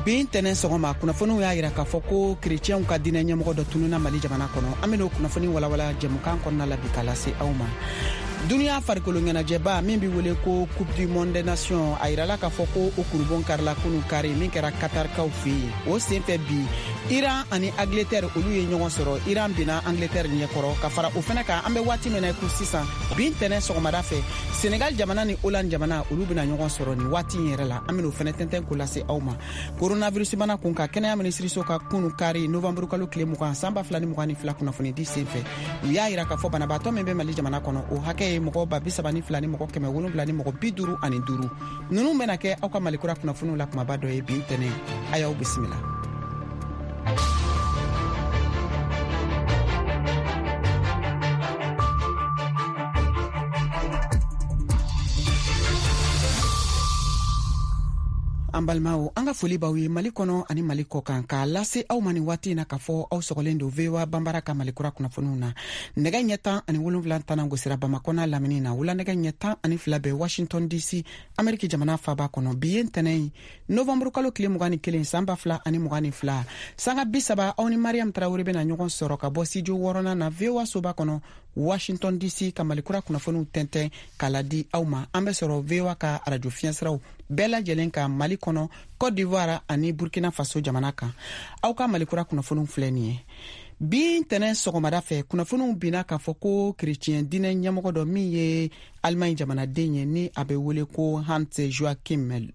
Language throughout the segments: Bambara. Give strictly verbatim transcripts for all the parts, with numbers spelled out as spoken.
Bi ntɛnɛn sɔgɔma, kunnafoniw y'a yira k'a fɔ ko kerecɛnw ka diinɛ ɲɛmɔgɔ dɔ tununa Mali jamana kɔnɔ. An ben'o kunnafoni walawala jɛmukan kɔnɔna la bi k'a lase aw ma. Duniya farikolo ɲɛnajɛba min be wele ko Coupe du monde des nations, a yirala k'a fɔ ko o kurubon karila kunu kari min kɛra Katarkaw fɛ yen. O senfɛ bi, Iran ani Angleterre olu ye ɲɔgɔn sɔrɔ. Iran binna Angleterre ɲɛkɔrɔ. Ka fara o fɛnɛ kan, an bɛ waati min na i ko sisan, bi ntɛnɛn sɔgɔmada fɛ, Senegal jamana ni Hollande jamana olu bɛna ɲɔgɔn sɔrɔ nin waati in yɛrɛ la. An ben'o fɛnɛ tɛntɛn ko lase aw ma. Coronavirus bana kun ka kɛnɛya minisiriso ka kunu kari novembre kalo tile mugan san ba fila ni mugan ni fila kunnafonidi senfɛ, u y'a yira k'a fɔ banabaatɔ min bɛ Mali jamana kɔnɔ, o hakɛ ye mɔgɔ ba bi saba ni fila ni mɔgɔ kɛmɛ wolonwula ni mɔgɔ bi duuru ani duuru. Ninnu bɛna kɛ aw ka Malikura kunnafoniw la kumaba dɔ ye bi ntɛnɛn. A y'aw bisimila. An balimaw, an ka foli b'aw ye Mali kɔnɔ ani Mali kɔ kan, k'a lase aw ma nin waati in na k'a fɔ aw sɔgɔlen don V O A Banbara ka Malikura kunnafoniw na. Nɛgɛ ɲɛ tan ani wolonwula tana gosira Bamakɔ n'a lamini na. Wula nɛgɛ ɲɛ tan ani fila bɛ Washington D C, Ameriki jamana faba kɔnɔ. Bi ye ntɛnɛn ye, novembre kalo tile mugan ni kelen san ba fila ani mugan ni fila. Sanga bi saba, aw ni Mariam Tarawele bɛna ɲɔgɔn sɔrɔ ka bɔ studio wɔɔrɔnan na V O A soba kɔnɔ Washington D C, ka Malikura kunnafoniw tɛntɛn k'a ladi aw ma. An bɛ sɔrɔ V O A ka arajo fiɲɛsiraw bɛɛ lajɛlen ka Mali kɔnɔ, Côte d'Ivoire ani Burkina Faso jamana kan. Aw ka Malikura kunnafoniw filɛ nin ye. Bi ntɛnɛn sɔgɔmada fɛ, kunnafoniw binna k'a fɔ ko kerecɛn diinɛ ɲɛmɔgɔ dɔ min ye Allemagne jamanaden ye, ni a bɛ wele ko Hans Joachim,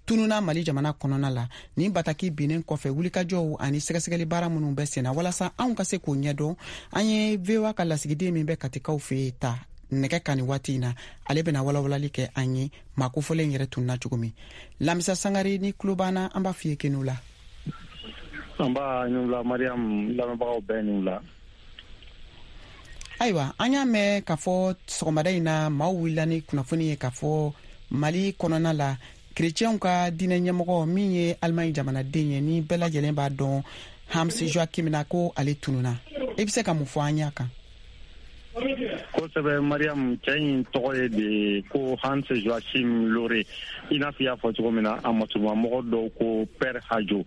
tununa Mali jamana kɔnɔna la. Nin bataki binnen kɔfɛ, wulikajɔw ani sɛgɛsɛgɛli baara minnu bɛ senna walasa anw ka se k'o ɲɛdɔn, an ye V O A ka lasigiden min bɛ Katikaw fɛ yen ta nɛgɛ kan nin waati in na. Ale bɛna walawalali kɛ an ye maa kofɔlen yɛrɛ tununa cogo min. Lamisa Sangare, ni tulo b'an na, an b'a f'i ye k'i ni wula. An b'a ni wula Mariam, lamɛnbagaw bɛɛ ni wula. Ayiwa, an y'a mɛn k'a fɔ sɔgɔmada in na maaw wulila ni kunnafoni ye k'a fɔ Mali kɔnɔna la, kerecɛnw ka diinɛ ɲɛmɔgɔ min ye Allemagne jamanaden ye, ni bɛɛ lajɛlen b'a dɔn Hans Joachim na, ko ale tununa. I bɛ se ka mun fɔ an y'a kan? Kosɛbɛ Mariam, cɛ in tɔgɔ ye de ko Hans Joachim Lore. I n'a fɔ i y'a fɔ cogo min na, a masurumamɔgɔ dɔw ko Père Hajo.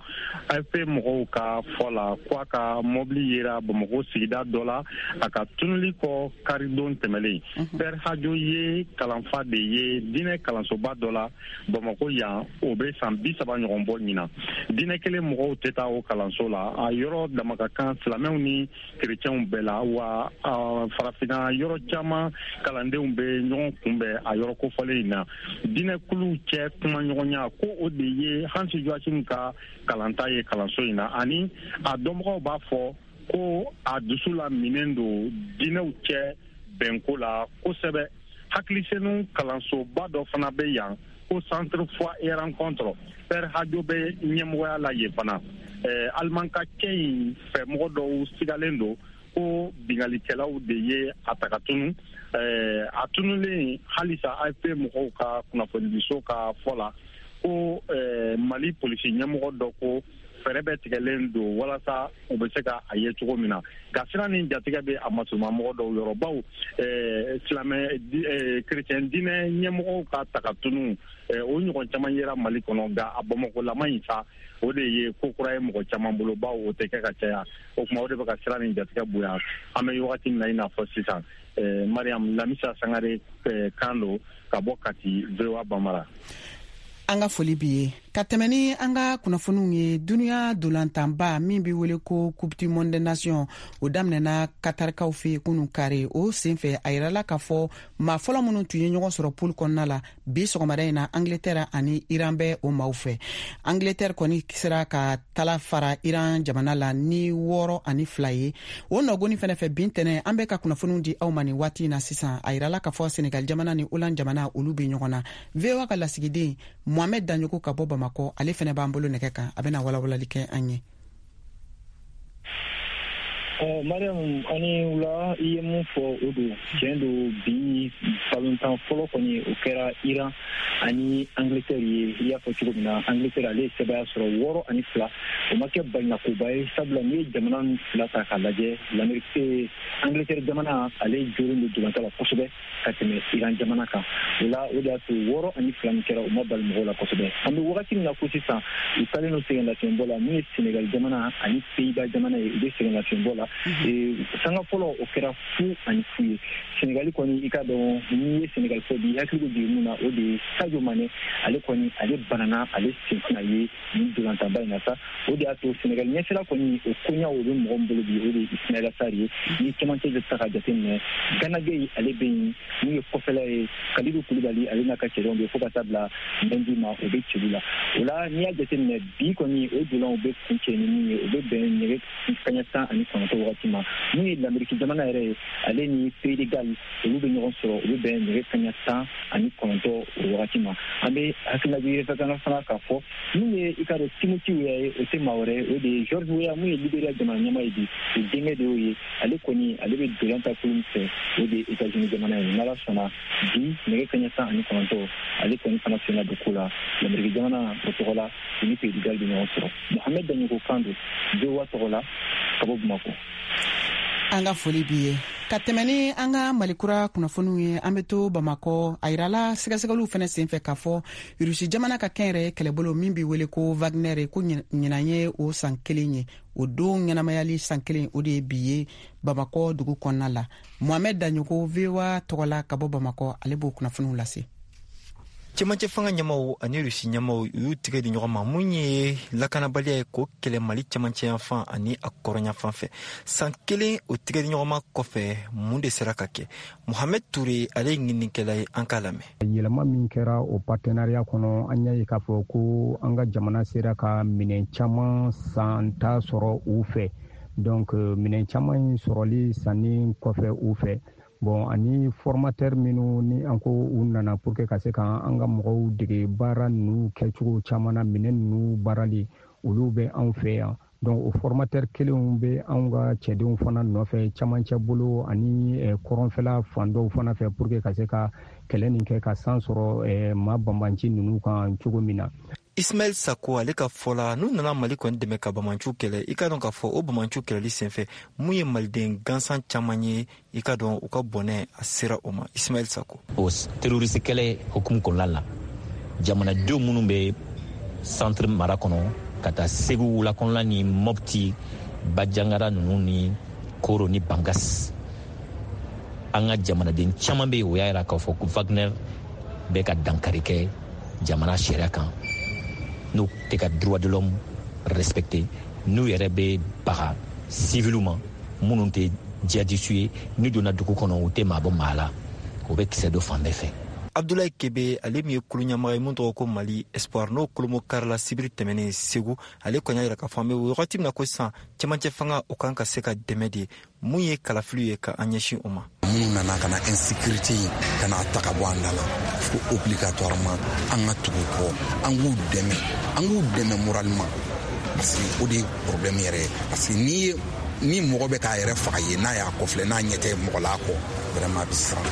A F P mɔgɔw ka fɔ la ko a ka mɔbili yera Bamakɔ sigida dɔ la a ka tunuli kɔ karidon tɛmɛlen. Père Hajo ye kalanfa de ye diinɛ kalansoba dɔ la Bamakɔ yan, o bɛ san bi saba ɲɔgɔn bɔ ɲinan. Diinɛ kelen mɔgɔw tɛ taa o kalanso la, a yɔrɔ dama ka kan silamɛw ni kerecɛnw bɛɛ la, wa farafinna yɔrɔ caman kalandenw bɛ ɲɔgɔn kunbɛn a yɔrɔ kofɔlen in na. Diinɛkuluw cɛ kumaɲɔgɔnya ko o de ye Hans Joachim ka kalanta ye kalanso in na, ani a dɔnbagaw b'a fɔ ko a dusu la minɛn don diinɛw cɛ bɛnko la kosɛbɛ. Hakilisenu kalansoba dɔ fana bɛ yan ko Centre Foi et Rencontre, Père Hajo bɛ ɲɛmɔgɔya la yen fana. Aliman ka cɛ in fɛ mɔgɔ dɔw sigalen don ko bingalikɛlaw de ye a ta ka tunu. A tunulen halisa A F P mɔgɔw ka kunnafonidiso ka fɔ la ko Mali polisi ɲɛmɔgɔ dɔ ko fɛɛrɛ bɛɛ tigɛlen don walasa u bɛ se ka a ye cogo min na. Nka siran ni jatigɛ bɛ a masurumamɔgɔ dɔw yɔrɔ, baw silamɛ kerecɛn diinɛ ɲɛmɔgɔw ka ta ka tunu o ɲɔgɔn caman yera Mali kɔnɔ, nka a Bamakɔlama in sa o de ye ko kura ye mɔgɔ caman bolo, baw o tɛ kɛ ka caya. O tuma o de bɛ ka siran ni jatigɛ bonya an bɛ wagati min na i n'a fɔ sisan. Mariam, Lamisa Sangare kan don ka bɔ Kati, V O A Bambara. An ka foli b'i ye. Ka tɛmɛ ni an ka kunnafoniw ye, duniya dolantanba min bɛ wele ko Coupe du monde des nations, o daminɛna Katarikaw fɛ kunun kari. O senfɛ, a yirala k'a fɔ maa fɔlɔ minnu tun ye ɲɔgɔn sɔrɔ poule kɔnɔna la bi sɔgɔmada in na, Angleterre ani Iran bɛ o maaw fɛ. Angleterre kɔni sera ka tala fara Iran jamana la ni wɔɔrɔ ani fila ye. O nɔgɔni fɛnɛ fɛ, bi ntɛnɛn, an bɛ ka kunnafoniw di aw ma nin waati in na sisan, a yirala k'a fɔ Senegal jamana ni Hollande jamana olu bɛ ɲɔgɔn na. V O A ka lasigiden Mohamed Dagnoko ka bɔ Bamakɔ, ale fɛnɛ b'an bolo nɛgɛ kan, a bɛna walawalali kɛ an ye. Mariam, ani wula. I ye mun fɔ, o don, tiɲɛ don. Bi balontan fɔlɔ kɔni, o kɛra Iran ani Angleterre ye. I y'a fɔ cogo min na, Angleterre ale ye sɛbɛya sɔrɔ wɔɔrɔ ani fila. O ma kɛ balinakoba ye, sabula n'i ye jamana fila ta k'a lajɛ, l'Amérique, Angleterre jamana, ale jolen don dolantan la kosɛbɛ ka tɛmɛ Iran jamana kan. O la, o de y'a to wɔɔrɔ ani fila min kɛra, o ma bali mɔgɔw la kosɛbɛ. An bɛ wagati min na ko sisan, u taalen don sɛgɛnlafiɲɛbɔ la. Min ye Sénégal jamana ani Pays-Bas jamana ye, u bɛ sɛgɛnlafiɲɛbɔ la. Sanga fɔlɔ, o kɛra fu ani fu ye. Sénégal kɔni, i ka dɔn, n'i ye Sénégal fɔ bi, i hakili bɛ jigin mun na? O de ye Sadio Mané. Ale kɔni, ale banana, ale sen tɛna ye nin dolantanba in na sa. O de y'a to Sénégal ɲɛsira kɔni, o koɲaw, o bɛ mɔgɔ min bolo bi, o de ye Ismaïla Sarr ye. Ni cɛmancɛ ta ka jateminɛ, Gana Gueye, ale bɛ yen. Mun ye kɔfɛla ye, Kalidou Koulibaly, ale n'a ka cɛdenw bɛ, fo ka taa bila Mendy ma, o bɛ celu la. O la, n'i y'a jateminɛ bi kɔni, o dolanw bɛ kuncɛ ni mun ye, o bɛ bɛn nɛgɛ kaɲɛ tan ani kɔnɔntɔn wagati ma. Mun ye Lamɛriki jamana yɛrɛ ye, ale ni Pays de Galles, olu bɛ ɲɔgɔn sɔrɔ, o bɛ bɛn nɛgɛ kaɲɛ tan ani kɔnɔntɔn o wagati ma. An bɛ hakililajigin fana fana k'a fɔ, mun ye, i ka dɔn, Timothy Weah ye, o tɛ maa wɛrɛ ye, o de ye George Weah, mun ye Liberia jamana ɲɛmaa ye bi, o denkɛ de y'o ye. Ale kɔni, ale bɛ dolan ta kulu min fɛ, o de ye États-Unis jamana ye. N'Ala sɔnna, bi nɛgɛ kaɲɛ tan ani kɔnɔntɔn, ale kɔni fana senna don ko la Lamɛriki jamana o tɔgɔ la, u ni Pays de Galles bɛ ɲɔgɔn sɔrɔ. Mohamed Daɲogo kan don, V O A tɔgɔ la, ka bɔ Bamakɔ. An ka foli b'i ye. Ka tɛmɛ ni an ka Malikura kunnafoniw ye, an be to Bamakɔ. A yirala sɛgɛsɛgɛliw fɛnɛ sen fɛ k'a fɔ Rusi jamana ka kɛnyɛrɛ kɛlɛbolo min be wele ko Wagner, ko ɲinan ye o san kelen ye. O don ɲɛnamayali san kelen, o de ye bi ye Bamakɔ dugu kɔnɔna la. Mohamɛd Daɲogo, V O A tɔgɔ la ka bɔ Bamakɔ, ale b'o kunnafoniw lase. Cɛmancɛ fanga ɲɛmaw ani Rusi ɲɛmaw, u y'u tigɛ di ɲɔgɔn ma mun ye lakanabaliya ye k'o kɛlɛ Mali cɛmancɛyanfan ani a kɔrɔnyanfan fɛ. San kelen o tigɛ di ɲɔgɔn ma kɔfɛ, mun de sera ka kɛ? Mohamɛd Ture, ale ye ɲininikɛla ye, an k'a lamɛn. Yɛlɛma min kɛra o partenariat kɔnɔ, an y'a ye k'a fɔ ko an ka jamana sera ka minɛn caman san ta sɔrɔ u fɛ. Donc minɛn caman in sɔrɔli sanni kɔfɛ u fɛ, bon, ani formateur minnu ni an ko u nana pour que ka se ka an ka mɔgɔw dege baara ninnu kɛcogo caman na, minɛn ninnu baarali, olu bɛ anw fɛ yan. Donc o formateur kelenw bɛ anw ka cɛdenw fana nɔfɛ camancɛ bolo ani kɔrɔnfɛla fan dɔw fana fɛ, pour que ka se ka kɛlɛ nin kɛ ka san sɔrɔ maa banbanci ninnu kan cogo min na. Ismaɛl Sako, ale ka fɔ la, n'u nana Mali kɔni dɛmɛ ka bamanciw kɛlɛ, i ka dɔn k'a fɔ o bamanciw kɛlɛli senfɛ, mun ye maliden gansan caman ye, i ka dɔn u ka bɔnɛ a sera o ma. Ismaɛl Sako. O terroriste kɛlɛ hukumu kɔnɔna la, jamanadenw minnu bɛ centre mara kɔnɔ ka taa Segu wula kɔnɔna ni Mɔpti, Bajangara ninnu ni Koro ni Bankas, an ka jamanaden caman bɛ yen, o y'a yira k'a fɔ ko Wagner bɛ ka dankari kɛ jamana sariya kan, n'u tɛ ka droit de l'homme respecté, n'u yɛrɛ bɛ baga civiliw ma minnu tɛ jihadistes ye. N'u donna dugu kɔnɔ, u tɛ maa bɔ maa la, u bɛ kisɛ don fan bɛɛ fɛ. Abdulayi Kebe, ale min ye kulu ɲɛmaga ye mun tɔgɔ ko Mali Espoir, n'o kolomo karila sibiri tɛmɛnen Segu, ale kɔni y'a yira k'a fɔ an bɛ wagati min na ko sisan, cɛmancɛ fanga o kan ka se ka dɛmɛ de mun ye kalafiliw ye ka an ɲɛsin o ma. Minnu nana ka na insécurité in ka na ta ka bɔ an da la, fo obligatoirement an ka tugu kɔ, an k'u dɛmɛ, an k'u dɛmɛ moralement, parce que o de ye problème yɛrɛ ye. Parce que n'i ye ni mɔgɔ bɛ k'a yɛrɛ faga ye, n'a y'a kɔfilɛ, n'a ɲɛ tɛ mɔgɔ la kɔ, vraiment a bɛ siran.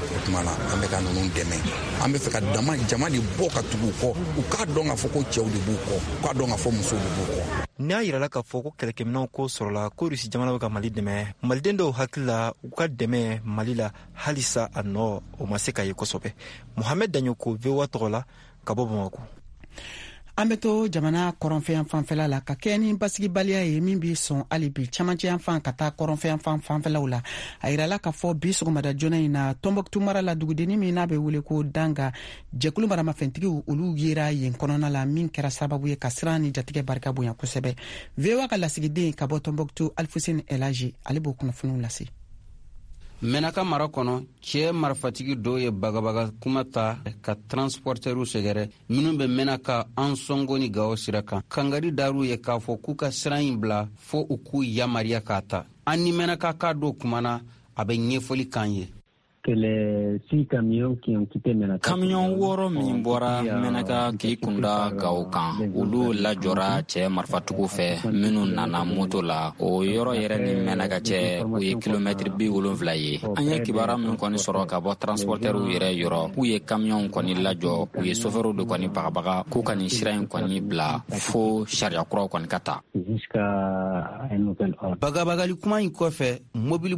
O tuma la, an bɛ ka ninnu dɛmɛ, an bɛ fɛ ka dama jama de bɔ ka tugu u kɔ, u k'a dɔn k'a fɔ ko cɛw de b'u kɔ, u k'a dɔn k'a fɔ musow de b'u kɔ. N'a yirala k'a fɔ ko kɛlɛkɛminɛnw ko sɔrɔla, ko Rusi jamana bɛ ka Mali dɛmɛ, maliden dɔw hakili la, u ka dɛmɛ Mali la halisa a nɔ o ma se ka ye kosɛbɛ. Mohamɛd Daɲoko, V O A tɔgɔ la ka bɔ Bamako. An be to jamana kɔrɔnfɛyan fanfɛla la ka kɛ ni basigibaliya ye min b'i sɔn hali bi camancɛyan fan ka taa kɔrɔnfɛyan fan fanfɛlaw la. A yirala k'a fɔ bi sɔgɔmada joona in na, Tɔnbɔkutu mara la, dugudenni min n'a be wele ko Danga, jɛkulu maramafɛntigiw, olu yera yen kɔnɔna la, min kɛra sababu ye ka siran ni jatigɛ barika bonya kosɛbɛ. V O A ka lasigiden ka bɔ Tɔnbɔkutu, Alfuseni Elaji, ale b'o kunnafoniw lase. Mɛnaka mara kɔnɔ, cɛɛ marifatigi dɔw ye bagabaga kuma ta ka transportɛriw sɛgɛrɛ minw bɛ Mɛnaka, Ansɔngo ni Gawo sira kan. Kangari dar'u ye k'a fɔ k'u ka siran ɲi bila fɔɔ u k'u yamariya k'a ta. An ni Mɛnaka ka dɔw kumana, a bɛ ɲɛfɔli k'an ye. Kamiyɔn wɔɔrɔ min bɔra Mɛnaka k'i kunda Gawo kan, olu lajɔra cɛ marifatigiw fɛ minnu nana moto la. O yɔrɔ yɛrɛ ni Mɛnaka cɛ, o ye kilomɛtiri bi wolonfila ye. An ye kibaruya min kɔni sɔrɔ ka bɔ transportɛriw yɛrɛ yɔrɔ, k'u ye kamiyɔnw kɔni lajɔ, u ye sofɛriw de kɔni bagabaga k'u ka nin sira in kɔni bila fo sariya kuraw kɔni ka ta. Bagabagali kuma in kɔfɛ, mobili